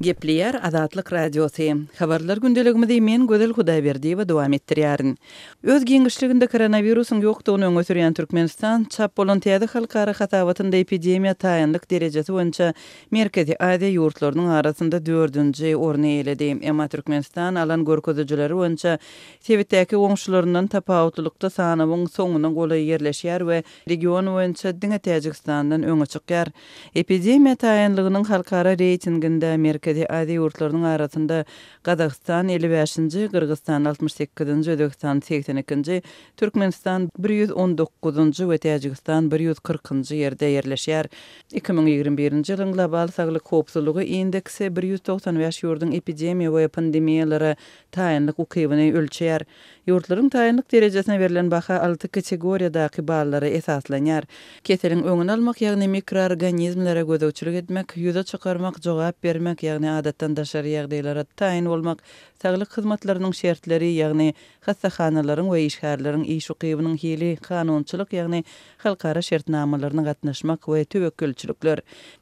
Gepleýär Azatlyk Radiosy. Habarlar gündeligimizi men Gözel Hudaýberdiýewa dowam etdirýärin. Öz giňişliginde koronawirusyň ýokdugyny öňe sürýän Türkmenistan, çap bolan täze halkara hasabatynda epidemiýa taýynlyk derejesi boýunça Merkezi Aziýa ýurtlarynyň arasynda dördünji orny eýeledi. Emma Türkmenistan alan görkezijileri boýunça sebitdäki goňşularyndan tapawutlylykda sanawyň soňuna golaý ýerleşýär we region boýunça diňe Täjigistandan öňe çykýar. Epidemiýa taýynlygynyň halkara reýtinginde Merkezi Aziýa ýurtlarynyň arasynda Gazagystan 55-nji, Gyrgyzystan 68-nji, Özbegistan 82-nji, Türkmenistan 119-njy we Täjigistan 140-njy ýerde ýerleşýär. 2021-nji ýylyň Global saglyk howpsuzlygy indeksi 195 ýurduň epidemiýa we pandemiýalara taýynlyk ukybyny ölçeýär. Ýurtlaryň taýynlyk derejesine berlen baha alty kategoriýadaky ballara esaslanýar. Keseliň öňüni almak, ýagny mikroorganizmlere gözegçilik etmek, ýüze çykarmak, jogap bermek, ýagny adatdan daşary ýagdaýlara taýyn bolmak, saglyk hyzmatlarynyň şertleri, ýagny hassahanalaryň we işgärleriň iş ukybynyň hili, kanunçylyk, ýagny halkara şertnamalaryna gatnaşmak we töwekgelçilikler.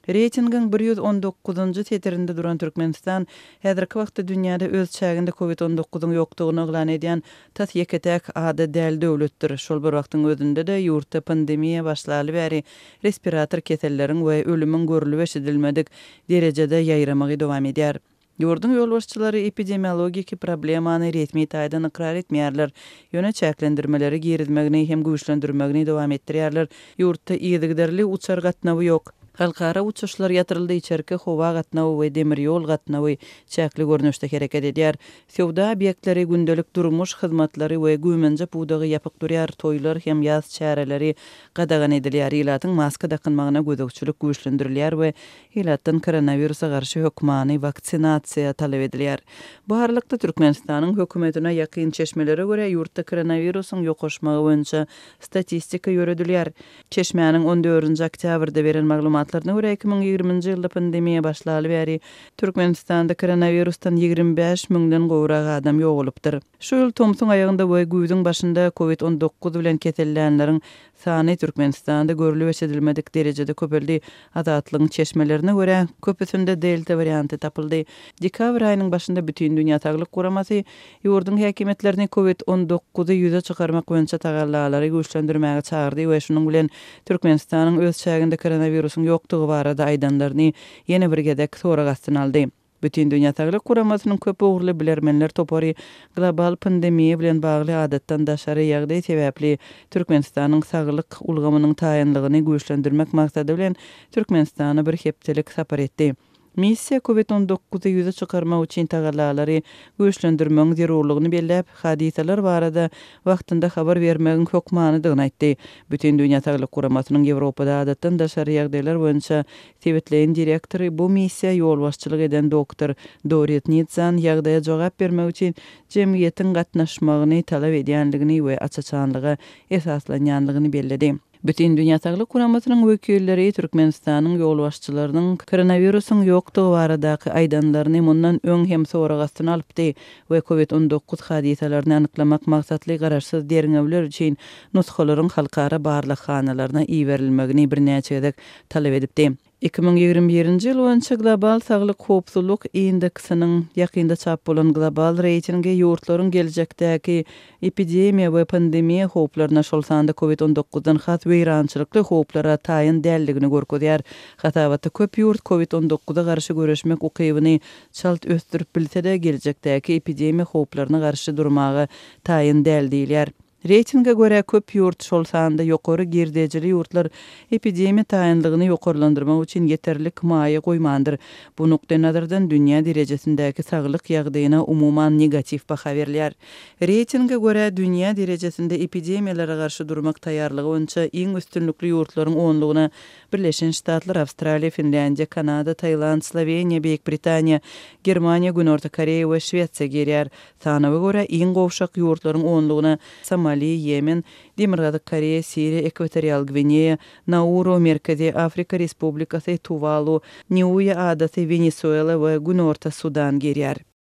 Reýtingiň 119-njy setirinde duran Türkmenistan Häzirki wagtda dünýäde öz çäginde Covid 19-yň ýokdugyny yglan edýän tas ýeke-täk ada däl döwletdir. Şol bir wagtyň özünde-de, ýurtda pandemiýa başlaly bäri respirator keselleriň we ölümiň görlüp-eşidilmedik derejede ýaýramagy dowam edýär. Ýurduň ýolbaşçylary epidemiologiki problemany resmi taýdan ykrar etmeýärler, ýöne çäklendirmeleri girizmegini hem güýçlendirmegini dowam etdirýärler. Ýurtda yzygiderli uçar gatnawy ýok. Halkara uçuşlar ýatyryldy, içerki howa gatnawy we demir ýol gatnawy çäkli görnüşde hereket edýär. Söwda obýektleri, gündelik durmuş hyzmatlary we güýmenje pudagy ýapyk durýar, toýlar hem ýas çäreleri gadagan edilýär, ilatyň maska dakynmagyna gözegçilik güýçlendirilýär we ilatdan koronawirusa garşy hökmany waksinasiýa talap edilýär. Bu aralykda, Türkmenistanyň hökümetine ýakyn çeşmelere görä, ýurtda koronawirusyň ýokaşmagy boýunça statistika ýöredilýär. Çeşmäniň on dördünji oktýabrda beren maglumatlaryna görä, 2020-nji ýylda pandemiýa başlaly bäri Türkmenistanda koronawirusdan 25 müňden gowrak adam ýogalypdyr. Şu ýyl tomsuň aýagynda we güýzüň başynda Covid 19 bilen kesellänleriň sany Türkmenistanda görlüp-eşidilmedik derejede köpeldi. Azatlygyň çeşmelerine görä, köpüsinde delta warianty tapyldy. Dekabr aýynyň başynda Bütindünýä saglyk guramasy ýurduň häkimiýetlerini Covid 19-y ýüze çykarmak boýunça tagallalary güýçlendirmäge çagyrdy we şunuň bilen Türkmenistanyň öz çäginde koronawirusyň ýokdugy barada aýdanlaryny ýene bir gezek sorag astyna aldy. Bütindünýä saglyk guramasynyň köp ugurly bilermenler topary global pandemiýa bilen bagly adatdan daşary ýagdaý sebäpli Türkmenistanyň saglyk ulgamynyň taýynlygyny güýçlendirmek maksady bilen Türkmenistana bir hepdelik sapar etdi. Missiýa Covid 19-y ýüze çykarmak üçin tagallalary güýçlendirmegiň zerurlygyny belläp, hadysalar barada wagtynda habar bermegiň hökmanydygyny aýtdy. Bütindünýä saglyk guramasynyň Ýewropada adatdan daşary ýagdaýlar boýunça Sebitleýin direktory bu missiýa ýolbaşçylyk eden doktor Dorit Nitzan ýagdaýa jogap bermek üçin jemgyýetiň gatnaşmagyny talap edýändigini we aç-açanlyga esaslanýandygyny belledi. Bütindünýä Saglyk Guramasynyň wekilleri Türkmenistanyň ýolbaşçylarynyň koronawirusyň ýokdugy baradaky aýdanlaryny mundan öň hem sorag astyna alypdy we Covid 19 hadysalaryny anyklamak maksatly garaşsyz derňewler üçin nusgalaryň halkara barlaghanalaryna iberilmegini birnäçe gezek talap edipdi. 2021-nji ýyl boýunça Global saglyk howpsuzlyk indeksiniň ýakynda çap bolan global reýtingi ýurtlaryň geljekdäki epidemiýa we pandemiýa howplaryna, şol sanda Covid 19-dan has weýrançylykly howplara taýyn däldigini görkezýär. Hasabatda köp ýurt Covid 19-a garşy göreşmek ukybyny çalt ösdürip bilse-de, geljekdäki epidemiýa howplaryna garşy durmaga taýyn däl diýilýär. Reýtinge görä, köp ýurt, şol sanda ýokary girdejili ýurtlar epidemiýa taýynlygyny ýokarlandyrmak üçin ýeterlik maýa goýmandyr. Bu nukdaýnazardan dünýä derejesindäki saglyk ýagdaýyna umuman negatiw baha berilýär. Reýtinge görä, dünýä derejesinde epidemiýalara garşy durmak taýýarlygy boýunça iň üstünlikli ýurtlaryň onlugyna Birleşen Ştatlar, Awstraliýa, Finlýandiýa, Kanada, Tailand, Sloweniýa, Beýik Britaniýa, Germaniýa, Günorta Koreýa we Şwesiýa girýär. Sanawa görä, iň gowşak ýurtlaryň onlugyna Somali, Ýemen, Demirgazyk Koreýa, Siriýa, Ekwatorial Gwineýa, Nauru, Merkezi Afrika Respublikasy, Tuwalu, Niuýa adasy, Wenesuela we Günorta Sudan girýär.